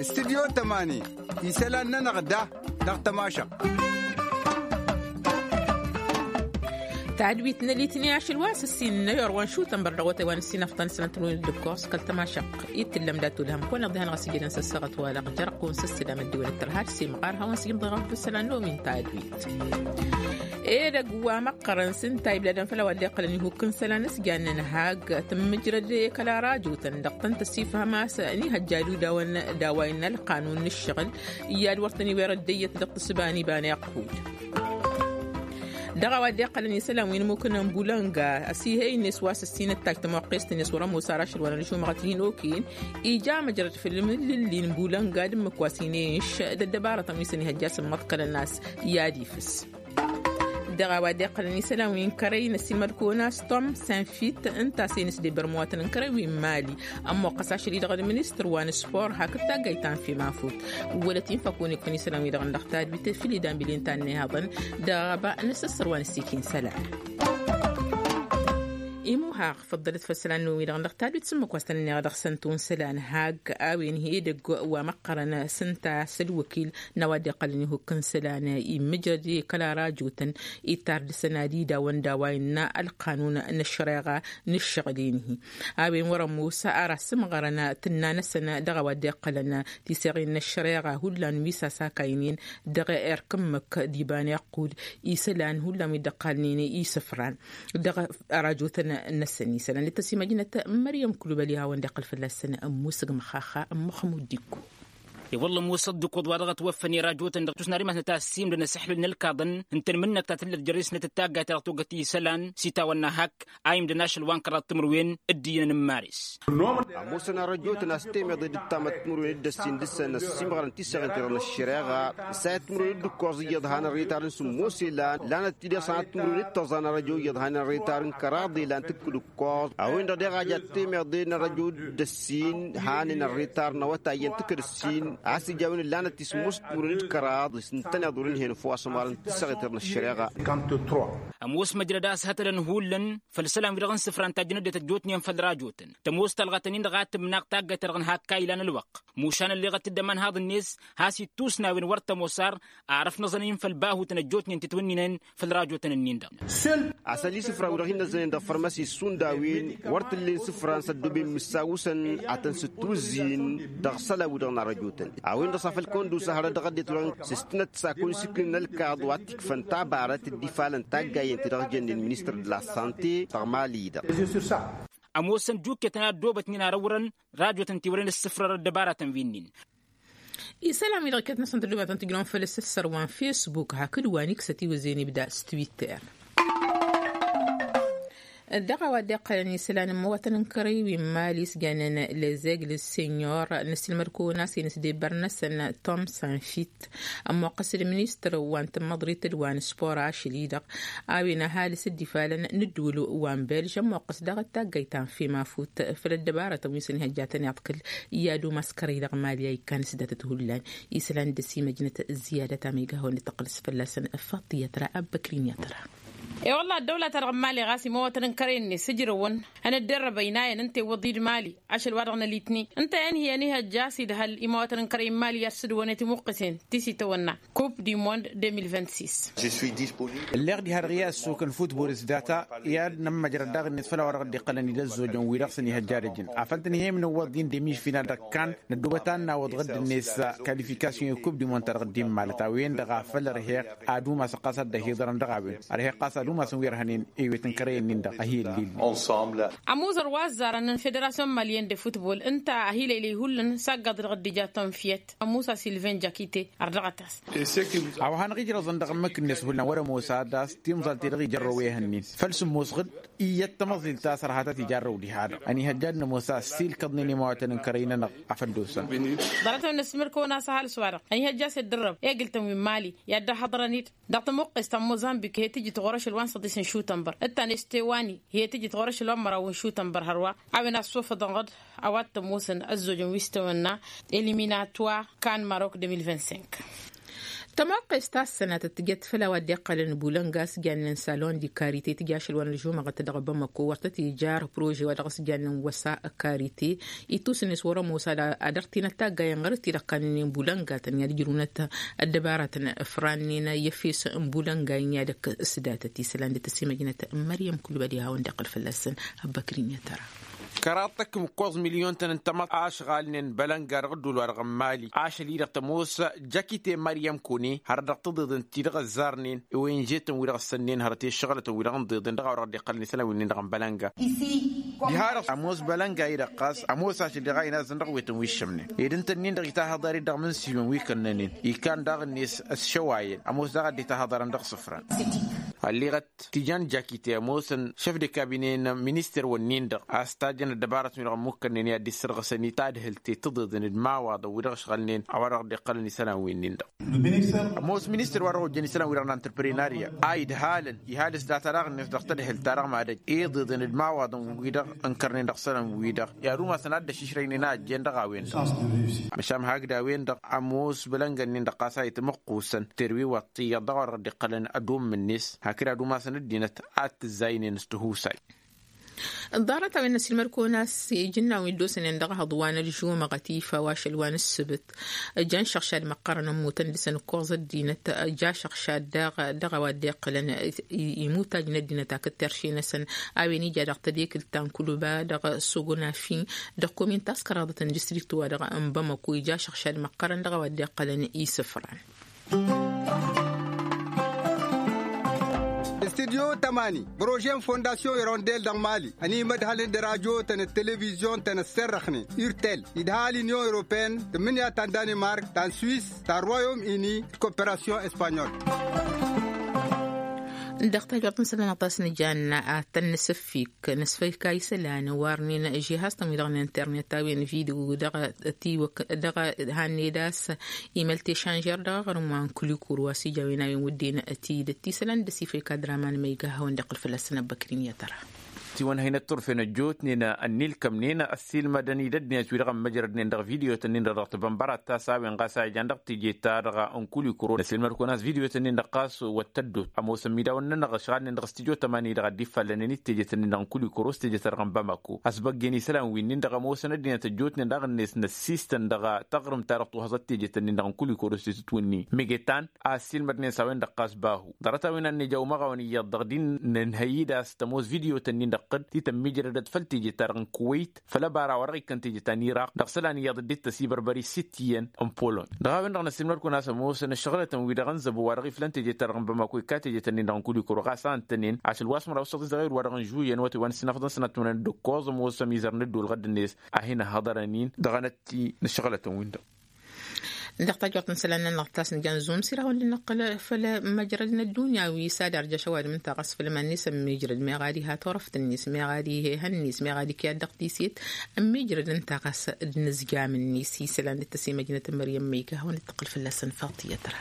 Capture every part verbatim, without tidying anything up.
Studyo tămani, isălan-nănăɣ da dăɣ-tămašăɣt. Tadwit n-elitni ašăl wa s-ǝssin n-ayor wa n-šutăn bărdăɣ wa tăywan ǝssin afḍăn sănătăn wen d-ǝkkoẓ kăl-tămašăɣt. Ittǝllăm dat-ulhăm kăwăn-iḍihăn ɣas ijădăn s-ăssaɣăt wa dăɣ-jărăq kăwăn s-ăssădam ăddăwăl d-tărha d-simɣar hawăn-s ijǝmḍeɣ ɣur-dd isălan n-omin tadwit. Edăgg wa măqqărăn s-ǝnta ibladăn făll-a-wa dd-iqqălăn ihukk n-isălan s-jannen hag tǝmmǝjrăd i-kăla rajotăn dăɣ-tăn-tăsifhăm a-s n-ihăjja d-udawăn d-a-wa innă ălqanun n-ǝššăɣǝl. Iyyăd wăr tăn-iwirăd d-eyyăt dăɣ-tǝssǝba n-iba n-iqqud. Dăɣ-a-wa dd-iqqălăn isălan wi n-imukǝn n-bulănga ăsihăy-net wa s-ǝssin ǝttaj tămoqqest-net wăr-ămoos ar ašăl wa n-ălžumăɣăt hin-okăyăn. Ija măjrăd făll-imǝllǝlli n-bulănga d-ǝmmǝk wa s-inenš d-ăddăbarătăn wi s-ănihăjja s-ǝmmăḍkălăn a-s i-ad-ifǝs. Dăɣ-a-wa dd-iqqălăn isălan wi n-kărăy n-ăsimălkăwăn a-s tom sinfit ǝnta a-s enǝsdebăr măwatăn n-kărăy wi n-mali. Ămmoqqăs ašăl-i-dăɣ d-ministăr wa n-spor hakd taggayt ta n-fimafut. Wălăt-in făkun ikkăn isălan-wi-dăɣ n-dăɣ tadwit făll-idan bile n-ta n-nehaḍăn. Dăɣ-aba n-asăssăr wa n-ăssikin isălan. Imuhaɣ făḍḍălăt făll-isălan-wi-dăɣ n-dăɣ tadwit s-ǝmmǝk wa s-tăn-ănneɣ dăɣ-săn tun isălan hag a-wen hi-edăgg wa măqqărăn s-ǝnta s-ălwăkil n-a-wa dd-iqqălăn ihukk n-isălan immǝjrăd i-kăla rajotăn. Ittar dăɣ-săn ad-idawăn d-a-wa innă ălqanun n-ăššăreɣa n-ǝššăɣǝl-in-hi. A-wen wăr-ămoos ara s-ǝmɣărăn tǝnna-năsăn dăɣ-a-wa dd-iqqălăn tiseɣin n-ăššăreɣa hullan wi s-asakaynen dăɣ-erk ǝmmǝk d-iba n-iqqud isălan hullan wi dd-ăqqalnen isǝfran dăɣ-arajotăn-năsăn isălan d-tăsimăjnăt. Măryăm kulubăli hawăn-dd-iqqăl fălla-săn ămmusǝg măxaxa n-măxmud d-ikku. I-wălla ămoosăt d-ǝkkoḍ wa dăɣ-ătwăffăn i-rajotăn dăɣ-tusnarǝy ma s-nătassim d-anăsăxlǝl n-ălkaḍăn ǝntăn mǝnnăk ta tǝllăt jărrǝy-snăt d-taggayt ta dăɣ-togăt isălan s-itawănna hak a imdăn ašăl wa n-kăraḍ timǝrwen d-iyyăn n-maris. Ămoosăn arăjotăn a-s temeḍe d-ǝttamăt timǝrwen d-ăssin dăɣ-săn ăssiimɣărăn tiseɣen-ti-dăɣ n-ăššăreɣa s-ayăt timǝrwen d-ǝkkoẓ iyyăḍ han ărrăy-ta-dăɣ n-sǝmmos ilan lanăt-t-dd iṣanăt timǝrwen d-tăẓa n-arăjo iyyăḍ han ărrăy-ta-dăɣ n-kăraḍ ilan tǝkkǝd ǝkkoẓ. A-wen-dăɣ deɣ a jat temeḍe n-arăjo d-ăssin hanen ărrăy-ta-dăɣ n-awătay iyyăn tǝkkǝd ăssin a-s ija a-wen ǝllanăt-t i-sǝmmos timǝrwen d-kăraḍ s-ǝntăneḍ wăr-ǝnhen ăfwas ămɣarăn tiseɣen-ti-dăɣ n-ăššăreɣa. Ămoos măjrăd a-s hătălăn hullan făll-isălan-wi-dăɣ n-isǝfra ǝnta a jăn ăddinăt ăjjootnen făll-rajotăn tămoos talɣăt-nin-dăɣ a tǝmnăɣ taggayt-ta-dăɣ n-hak a ilan ălwăqq. Mušan ălleɣăt-dd aman haḍ-net has-ittusnawen wăr tămoos ar arăf n-aẓăn-in făll-bahutăn ăjjootnen titwǝnninen făll-rajotăn-nin-dăɣ. Asăl isǝfra-wi-dăɣ hin-năzzănen dăɣ-fărmăsi s-šund a-wen wăr t-ǝllen isǝfran s-ăddooben mǝssawǝsăn ad-tăn-sǝttuzzǝyăn dăɣ-isălan-wi-dăɣ n-arăjotăn. A-wen-dăɣ s-afăl kăwăn-dd-usa hărăt dăɣ-ăddinăt wa s-ǝstǝnăt s-akun s-iknǝn ălkaḍ wa t-ikfăn tabarăt d-ifalăn taggayen-ti-dăɣ jănnen ministăr d-la sante dăɣ-mali-dăɣ. Ămoosăn juketăn a ăddoobătnen arăwrăn rajotăn tiwărăn ǝssǝfrărăt dăbaratăn wi-nin. Isălan-wi-dăɣ iket-năsăn tăddoobătăn tǝjnăwăn făll-asăssăr wa n-fesbuk hakd wa n-iksăt iwǝzen ibda s-twitter. Dăɣ-a-wa dd-iqqălăn isălan n-imăwatăn n-kărăy wi n-mali s-jannen lezegl sănyor n-asǝlmăd-kăwăn a-s inǝsdebăr-năsăn tom sanfit ămmoqqăs d-ministăr wa n-tǝmmăḍrit d-wa n-spor ašăl-i-dăɣ a-wen ăhalǝs dd-ifalăn n-ǝddǝwǝl wa n-belž ămmoqqăs daɣ-taggayt ta n-fimafut făll-ăddăbarătăn wi s-ănihăjjatăn iḍkǝl. I-ad-umas kărăy dăɣ-mali a ikkan s-datăt hullan isălan d-ăsimăjnăt. Ziyadăt amega hawăn-dd-tăqqǝlăs fălla-săn faṭiyăt ra abbăkrin i-ad-tăra. E-wălla ăddăwla-ta-dăɣ n-mali ɣas imawătăn n-kărăy-net ǝjrăwăn ănăddărrăb ăynayăn ǝnta iwwăḍ-dd mali ašăl-wa-dăɣ n-alitni ǝnta i-ănhǝyăn ihăjja a-s idhăl imawătăn n-kărăy n-mali i-ad-sǝdwănet imuqqǝsen ti s-itawănna coupe du monde deux mille vingt-six. Ǝlleɣ diha-dăɣ i-ad-sokăn futbol s-data i-ad-nămmăjrăd daɣ-net făll-a-wa dăɣ-dd-iqqălăn i-dd-ăzzojăn wi-dăɣ s-ănihăjja ad-ăjǝn afăl tăn-hi-imnǝwwăḍ-in demi-final dăɣ-kan năddoobăt ad-nawăḍ ɣǝdd-net kalifikasyon i-coupe du monde ta dăɣ-dd-immalăt a-wen-dăɣ a făl ărheɣ ad-umasăn ɣas ad-dd-ăhiḍărăn dăɣ-a-wen ărheɣ ɣas ad-umasăn wi ărhănen ewet n-kărăyăn-nin-dăɣ a hi-ǝllilnen. Amuzăr wa ăzzarăn n-federasyon malyen de futbol ǝnta a hi-lăylăy hullan s-aggaḍ dăɣ-dd-ija tonfyăt ămusa silven jakite. Ărdăɣăt-as. A-wa hanăɣ-ijrăẓăn dăɣ-ǝmmǝk-net hullan wăr-ămoos ad-as timẓal-ti-dăɣ ijărrăw ehăn-nin făl sǝmmos ɣǝd iyyăt tamăẓilt ta s-ărhatăt ijarrăw diha-dăɣ ănihăjja ad-nămoos a-s ilkăḍnen imawătăn n-kărăy-nănăɣ. Afăl dd-osăn. Ḍarăt-wen n-asǝmmǝrkăwăn a-s ăhalǝs-wa-dăɣ ănihăjja a-s dd-ărrăb egǝl-tăn wi n-mali i-ad-dd-ăhhăḍărăn-dd dăɣ-tămuqqest ta n-mozambik hi-tǝjǝt ɣur-ašăl wa n-săḍis n-šutănbăr d-ta n-estewani hi-tǝjǝt ɣur-ašăl wa n-măraw n-šutănbăr hărwa. A-wen a ăssofăḍăn ɣǝd a-wa t-ămoosăn ăzzojăn wi s-tawănna eliminatoire kan marok deux mille vingt-cinq. Tămoqqes ta s-sănatăt tǝjăt făll-a-wa dd-iqqălăn bulănga a-s jannen salon di karite tǝja ašăl wa n-ălžumăɣăt dăɣ-bamăko wăr tăt-ijar prože wa dăɣ-s jannen wăsa karite. Itus-net wăr-ămoos ad-dăɣ-tinăt taggayen ɣur-t-i-dăɣ kannănen bulănga tăn-i-ad-ǝjrǝwnăt ăddăbarătăn ǝfrannen i-efes n-bulănga-in i-ad-ăkk s-datăt isălan d-tăsimăjnăt n-măryăm kulbăd i-hawăn-dd-iqqǝl fălla-săn. Ăbbăkrin i-tăra. Kăraḍ tăkk m-ǝkkoẓ milyon-tăn n-tamăḍt ašɣalnen bălănga dăɣ-ădduul wa dăɣ-n mali ašăl-i-dăɣ tămoos jakite măryăm kune hărăt dăɣ-tǝḍeḍen ti-dăɣ ăzzarnen i-wenže-tăn wi-dăɣ ăssănnen hărăt i-ăššăɣǝlătăn wi-dăɣ n-iḍeḍen dăɣ-a-wa dăɣ-dd-iqqălăn isălan wi-nin-dăɣ n-bălănga. Diha-dăɣ ămoos bălănga-i-dăɣ ɣas ămoos ašăl-i-dăɣ a inazăn dăɣ-wetăn wi ǝššămnen ed ǝnta-nin-dăɣ itahăḍar-i dăɣ-imǝnsǝywen wi kănnănen ikan daɣ-net ăššăwayăn ămoos daɣ a dd-itahăḍarăn dăɣ-isǝfran. Ălleɣăt tijan jakite ămoosăn šef de kabine n-minister-wăn-nin-dăɣ a-s tajjăn ăddăbarătăn-wi-dăɣ ămmukkănnen i-ad-dd-issărɣǝsăn i-tadhǝlt i-tǝḍeḍen d-imawaḍăn wi-dăɣ ǝšɣălnen a-wa dăɣ-dd-iqqălăn isălan-win-nin-dăɣ. Ămoos minister wa dăɣ-ojjăn isălan-wi-dăɣ n-antreprenarya a idhalăn ihal s-data daɣ-net dăɣ-tadhǝlt-ta-dăɣ mad-ăj iḍeḍen d-imawaḍăn-wi-dăɣ ǝnkărnen dăɣ-isălan-wi-dăɣ i-ad-umasăn ad-dd-ăššǝšrăynen a ăjjeen dăɣ-a-wen-dăɣ. Măšan hakd a-wen-dăɣ ămoos bălăngăn-nin-dăɣ ɣas a itmăqqusăn terwi wa t-iyyăḍ dăɣ-a-wa dăɣ-dd-iqqălăn ad-ummǝn-net hakd ad-umasăn ăddinăt ad-t-ǝzzaynen s-tihusay. Ḍarăt-a-wen n-ăsilmăd-kăwăn a-s ijǝnnawen wi dd-osănen dăɣ-ehăḍ wa n-ălžumăɣăt ifa wa ašăl wa n-ǝssǝbǝt. Ǝjăn šăɣšad măqqărăn ămmutăn dăɣ-săn ǝkkoẓ ăddinăt. Ǝja šăɣšad daɣ dăɣ-a-wa dd-iqqǝlăn imutaj n-ăddinăt hakd terše-năsăn a-wen ija dăɣ-tedekǝlt ta n-kulǝba dăɣ-sogonafi dăɣ-komin ta s-kăraḍăt n-distrikt-wa-dăɣ n-bamăko ija šăɣšad măqqărăn dăɣ-a-wa dd-iqqălăn isǝfran. Studyo tămani bărože n-fondasyon irondel dăɣ-mali ănimădhălăn d-radyo-tăn d-televizyon-tăn ăsserrăxnen urtel idhal inyon europene tǝmmǝnǝya ta n-danimark ta n-swis ta n-royom ini d-koperasyon espanyol. Dăɣ-tajwărt n-isălan aṭas n-ijan ad-tăn-nǝsǝffik nǝsfăyka isălan warnen žihaz-tăn wi-dăɣ n-internet a-wen video dăɣ-tiwăk dăɣ-hanne d-a-s imăl tešanžer dăɣ-aɣrǝm wa n-kulikuru a-s ija a-wen a-wen wǝdden tidǝt isălan d-ăsifăyka draman ma iga a hawăn-dd-iqqǝl fălla-săn ăbbăkrin i-ad-tăra. Tiwănhăynăt turfen ăjjootnen ănnilkămnen ăssiilmădăn-dd ăddinăt wi-dăɣ ămmăjrădnen dăɣ-video-tăn-in-dăɣ dăɣ-tibănbărat ta s-a-wen ɣas a ijan dăɣ-teje-ta-dăɣ n-kulikuro năsilmăd-kăwăn a-s video-tăn-in-dăɣ ɣas wăr t-ăddot ămoosăn imidawăn-nănăɣ ăšɣalnen dăɣ-s tijo tămani-dăɣ a dd-iffallănen d-teje-tăn-in-dăɣ n-kulikuro s-teje-ta-dăɣ n-bamako ăsbăggen isălan wi-nin-dăɣ ămoosăn ăddinăt ăjjootnen dăɣ-net năssiistăn dăɣ-taɣrǝmt-ta-dăɣ tuhaẓăt teje-tăn-in-dăɣ n-kulikuro s-tetǝtwǝnni megetan a ăssiilmădnen s-a-wen-dăɣ ɣas bahu ḍarăt-a-wen ad-nǝja umăɣawăn iyyăḍ dăɣ-din nǝnhăy-dd a-s tămoos video-tăn-in-dăɣ tǝd ti tămmijrădăt făll-teje-ta-dăɣ n-kuwăyt făll-ăbara wa dăɣ-ikkăn teje ta n-iraq dăɣ-isălan iyyăḍ dd-ittăs ibărbăr-i sitt iyyăn n-polony. Dăɣ-a-wen-dăɣ năssiilmăd-kăwăn a-s ămoosăn ăššăɣǝlătăn-wi-dăɣ n-zăbo wa dăɣ-iflăn teje-ta-dăɣ n-bamako ikka teje-tăn-in-dăɣ n-kulikuro ɣas a ǝntănen ašăl wa s-măraw s-săḍis dăɣ-ewăr wa dăɣ-n žuyăn wătăy wa n-ǝssin afḍăn sănat timǝrwen d-ǝkkoẓ ămoosăn imizărăn dd-olɣăd-net a hin-ăhhăḍărăn-in dăɣ-enătti n-ăššăɣǝlătăn-win-dăɣ. Dăɣ-tajwărt n-isălan-nănăɣ ta s-nǝja n-zumsir a hawăn-dd-năqqǝl făll-măjrăd n-ăddunya wi s-ad-arjăš ăwadǝm ǝnta ɣas făll-iman-net ămmijrăd meɣ ad-iha turăft-net meɣ ad-iha ehăn-net meɣ ad-ikyad dăɣ-tiset. Ămmijrăd ǝnta ɣas d-inǝzjam-net isălan d-tăsimăjnăt n-măryăm ma ika a hawăn-dd-tăqqǝl fălla-săn faḍt i-ad-tăra.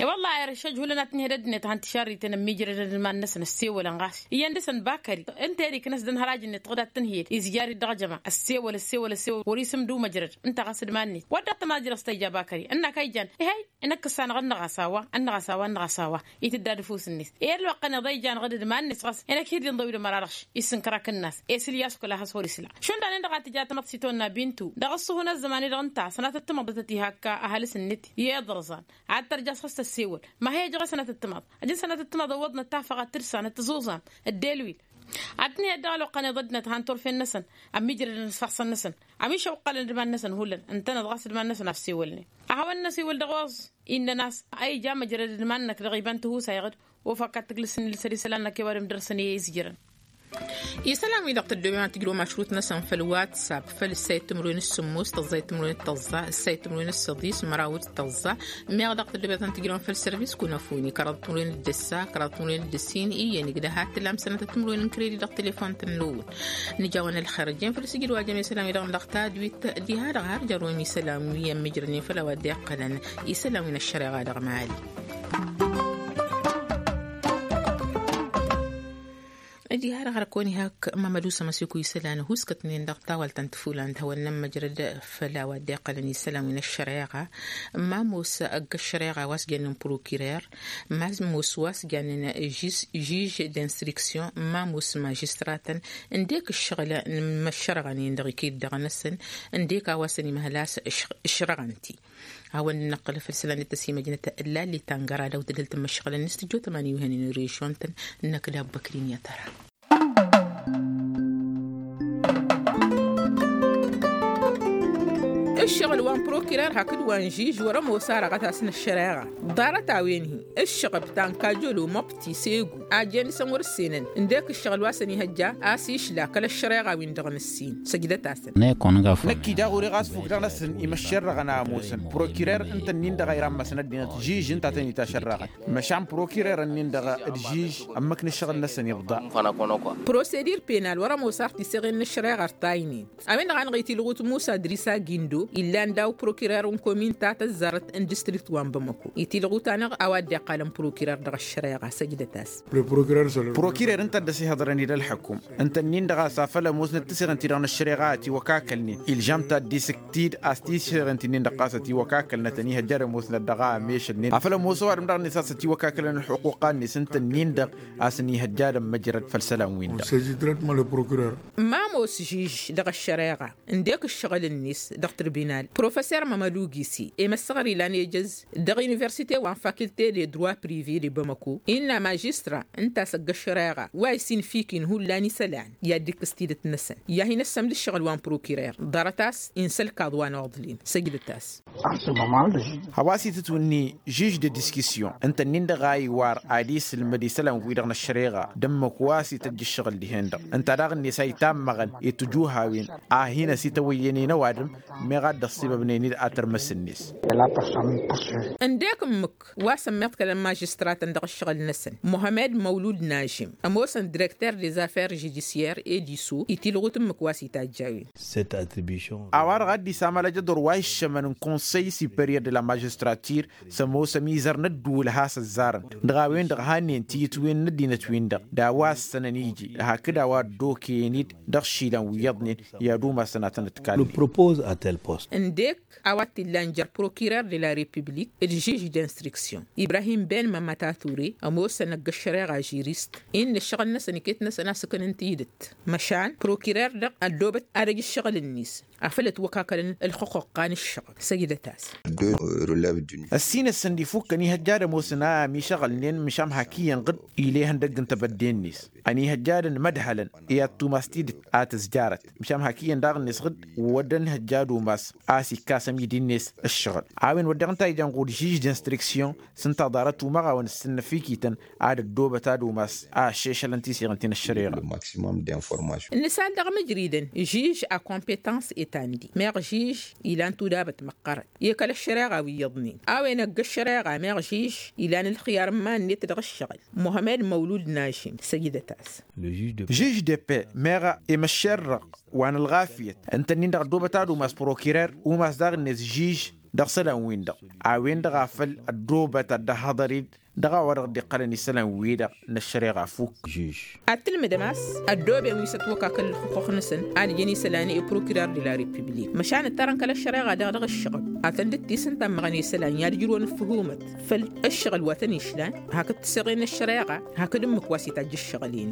I-wălla irăššăj hullan ad-tǝnhǝyăd ăddinăt han tišarriten ămmijrădăn d-iman-năsăn ăssewălăn ɣas iyyăn dăɣ-săn bakări ǝnta i-ad-iknăs d-ănhăraj-net ɣud ad-tǝnhǝyăd izjar-dd dăɣ-jăma ăssewăl ăssewăl ăssewăl wăr-isǝmdǝw măjrăd ǝnta ɣas d-iman-net wădden ad-tămajrăẓ ta ija bakări ǝnn'-ak a ijan. Ih'-ay. Inăkkǝs-anăɣ ǝnnăɣ-as a-wa ǝnnăɣ-as a-wa ǝnnăɣ-as a-wa itǝdda ad-ăfuss-net i-ălwăqq-anăɣ d-a ijan ɣǝd d-iman-net ɣas inăkk hi-dd-inḍăw d-ămăra dăɣ-š. Isǝnkăr-ak ǝnnas i-sǝl i-asukǝl a has-wăr-isǝla šund daɣ-en-dăɣ a tǝja tamăḍt s-itwănna bintu dăɣ-ăṣṣuhu n-ăzzăman-i-dăɣ ǝnta sănatăt tamăḍt a tăt-ihakka ăhalǝs-net i-iḍrǝẓan ad-tărjaẓ ɣas tăssewăl ma hi-ăjăɣ i-sănatăt tamăḍt. Ăjǝn sănatăt tamăḍt ăwwăḍnăt tafăɣ ad-tǝrsa n-ăttăẓuẓam ăddelwil. Ad-tǝnhǝyăd dăɣ-ălwăqq-anăɣ d-ăddinăt han turfen-năsăn ămmiijrădăn s-ifassăn-năsăn ămišăwwălăn d-iman-năsăn hullan ǝntăneḍ ɣas d-iman-năsăn a ăssewălnen. A hawăn-năsiwǝl dăɣ-oẓ innăn a-s a ija măjrăd d-iman-năk dăɣ-iba n-tihusay ɣǝd ofăk ad-tǝglǝsăn ilsăr isălan-năk i-ăwadǝm dăr-săn i-izjărăn. Isălan-wi-dăɣ tăddoben ad-tǝjrǝwăm ašrut-năsăn făll-whatsapp făll-ǝssayăt timǝrwen d-sǝmmos tăẓẓayăt timǝrwen d-tăẓẓa ǝssayăt timǝrwen d-săḍis măraw d-tăẓẓa. Meɣ dăɣ-tăddobet ad-tǝjrăwăm făll-sărvis kunăfuni kăraḍ timǝrwen d-ǝssa kăraḍ timǝrwen d-ǝssin iyyăn igdăhat tǝlam sănătăt timǝrwen n-kredi dăɣ-telefon-tăn n-ăwwăl. Nǝjawăn ălxer ăjjeen făll-sǝjǝd wa jăme isălan-wi-dăɣ n-dăɣ-tadwit diha-dăɣ har jărrăwăm isălan wi ămmijrănen făll-a-wa dd-iqqălăn isălan wi n-ăššăreɣa dăɣ-mali. Ǝddiha-dăɣ hărăt kăwăn-ihak mamădu s-ămăsiku isălan ăhuuskătnen dăɣ-tawalt ta n-tǝfula n-ad-hawăn-nămmăjrăd făll-a-wa dd-iqqălăn isălan wi n-ăššăreɣa. N-ma ămoos ăgg-ăššăreɣa a-wa s-jannen prokirer, n-ma ămoos wa s-jannen žij d-instriksyon, n-ma ămoos mažistratăn, ǝndek ǝššăɣǝl n-imăššărăɣăn-in-dăɣ ikidd dăɣ-năsăn, ǝndek a-wa s-ănimăhăl a-s ǝšrăɣăn-t-i. Hawăn-dd-năqqǝl făll-isălan d-tăsimăjnăt ǝllalli ta n-gărad a-wa tǝdhǝl tǝmmăššăɣǝlăn s-tǝjjo tămani wi hănen režion-tăn. Năkk d-abbăkrin i-ad-tăra. Ǝššăɣǝl wa n-prokirer hakd wa n-žij wăr-ămoos arăɣăt a-s n-ăššăreɣa ḍarăt-a-wen-hi ǝššăɣăb ta n-kajolo măbti segu a jen isăn wăr-ǝssenăn ǝndek ǝššăɣǝl wa s-ănihăjja a-s išla kăl-ăššăreɣa wi n-dăɣ n-ǝssin. Săjdăt-asăn. Năkk-i daɣ wăr-e ɣas fuk dăɣ-năsăn imăššerrăɣăn a ămoosăn prokirer ǝnta ǝnnin-dăɣ a irammasăn ăddinăt žij ǝnta a tăn-itašărrăɣăn. Măšan prokirer-ǝnnin-dăɣ d-žij ămmăk n-ǝššăɣǝl-năsăn iḍḍa. Prosedir penal wăr-ămoos ar tiseɣen n-ăššăreɣa ărtaynen. A-wen-dăɣ a năɣ-itilɣut musa dăr-isa gindo illan daw-prokirer n-komin ta tăzzarăt n-distrikt wa n-bamăko itilɣut-anăɣ a-wa dd-iqqalăn prokirer dăɣ-ăššăreɣa săjdăt-as. Prokirer ǝnta a dd-ăsihăḍrăn-dd ălḥăkum ǝnta ǝnnin-dăɣ a-s afăl ămoosnăt tiseɣen-ti-dăɣ n-ăššăreɣa a tiwăkakkălnen ilžăm taddisǝkt-dd a-s tiseɣen-ti-nin-dăɣ ɣas ătiwăkakkălnăt ănihăjja ad-ămoosnăt dăɣ-a ămešălnen afăl ămoos ăwadǝm-dăɣ-net a-s ătiwăkakkălăn ălxuqquqa-net ǝnta ǝnnin-dăɣ a-s ănihăjja ad-ămmăjrăd făll-isălan-win-dăɣ. Ma ămoos žij dăɣ-ăššăreɣa ǝndek ǝššăɣǝl-net dăɣ-tǝrbinal professer mămălugisi i-măssăɣăr ilan ejăz dăɣ-universite wa n-fakilte de droi prive de bamăko innă mažistra ǝnta a-s ăgg-ăššăreɣa wa isinfikin hullan isălan i-ad-dd-ikkǝs tidǝt-năsăn i-ad-hin-ăssămd ǝššăɣǝl wa n-prokirer ḍarăt-as insălkaḍ wa n-oḍlim săjdăt-as. A-wa s-itǝtwǝnni žij de diskisyon ǝnta ǝnnin-dăɣ a iwar ad-isǝlmăd isălan-wi-dăɣ n-ăššăreɣa d-ǝmmǝk wa s-ităjj ǝššăɣǝl dihen-dăɣ ǝnta daɣ-net a itammăɣăn i-tijuhawen a hin-ăsitawăyyănen ăwadǝm meɣ a dd-ăṣṣibăbnen-dd ad-tărmǝs-net. Ǝndek ǝmmǝk wa s-ămmiḍkălăn mažistratăn dăɣ-ǝššăɣǝl-năsăn muhămed măwlud nažim ămoosăn direkter des affaires žudisyer ediso itilɣut ǝmmǝk wa s-itajj a-wen. A-wa-dăɣ a dd-isamăl ajăḍor wa iššămăn n-konsăy siperyer de la mažistratir s-ămoos ămizăr n-ădduul a has-ăzzarăn dăɣ-a-wen-dăɣ hannen tiyǝtwen n-ăddinăt-win-dăɣ d-a-wa ǝssănăn iji hakd a-wa ăddokăyăn-dd dăɣ-išilan wi iyyăḍnen i-ad-umasăn ad-tăn-ǝtkalnen. Ǝndek a-wa t-illan jer-prokirer de la republik d-žij d-instriksyon ibrahim ben mămmătature ămoosăn ăgg-ăššăreɣa žirist innă ǝššăɣǝl-năsăn iket-năsăn a-s ǝknăn tidǝt măšan prokirer-dăɣ ăddoobăt ad-ăj ǝššăɣǝl-net afăl ătwăkakălăn ălxuqqa n-ǝššăɣǝl săjdăt-as. Ăssin-ǝssǝn d-ifukkăn ihăjja ad-ămoosăn a ămišăɣǝlnen măšan hak iyyăn ɣǝd ila ihăndăgg n-tebădde-net ănihăjja ad-ănmădhălăn i-ad-tumas tidǝt a tǝzjarăt măšan hak iyyăn daɣ-net ɣǝd wăr dd-ănhăjja ad-umas a-s ikkas ămidi-net ǝššăɣǝl. A-wen wădden ǝnta a ijan ɣur-žij d-instriksyon s-ǝnta ḍarăt umăɣawăn ǝssǝnnăfikităn ad-ăddoobăt ad-umas a ăššešălăn tiseɣǝn ti n-ăššăreɣa. Nǝsal dăɣ-imǝjridăn žij a competăns etandi meɣ žij ilan tudabăt măqqărăn i-kăl-ăššăreɣa wi iyyăḍnen a-wen ăgg-ăššăreɣa meɣ žij ilan ǝlxiyar n-iman-net dăɣ-ǝššăɣǝl muhămed măwlud nažim săjdăt-as. Žij de pe meɣ i-măššerrăɣ wa n-ălɣafyăt ǝnta-nin-dăɣ ăddoobăt ad-umas prokirer umas daɣ-net žij dăɣ-isălan-win-dăɣ a-wen-dăɣ a făl ăddoobăt ad-dd-ăhhăḍăr-dd dăɣ-a-wa dăɣ-dd-iqqălăn isălan-wi-dăɣ n-ăššăreɣa fukk. Ad-tǝlmǝdăm a-s ăddooben wi s-ătwăkakăl ǝlxǝquq-năsăn ad-ǝjǝn isălan i-prokirer de la republik măšan ǝttarăn kăl-ăššăreɣa daɣ dăɣ-ǝššăɣǝb ad-tăn-dd-tisǝntammăɣăn isălan i-ad-ǝjrǝwăn ǝffǝhumăt făll-ǝššăɣǝl wa tăn-išlan hakd tiseɣen n-ăššăreɣa hakd ǝmmǝk wa s-itajj ǝššăɣǝl-in.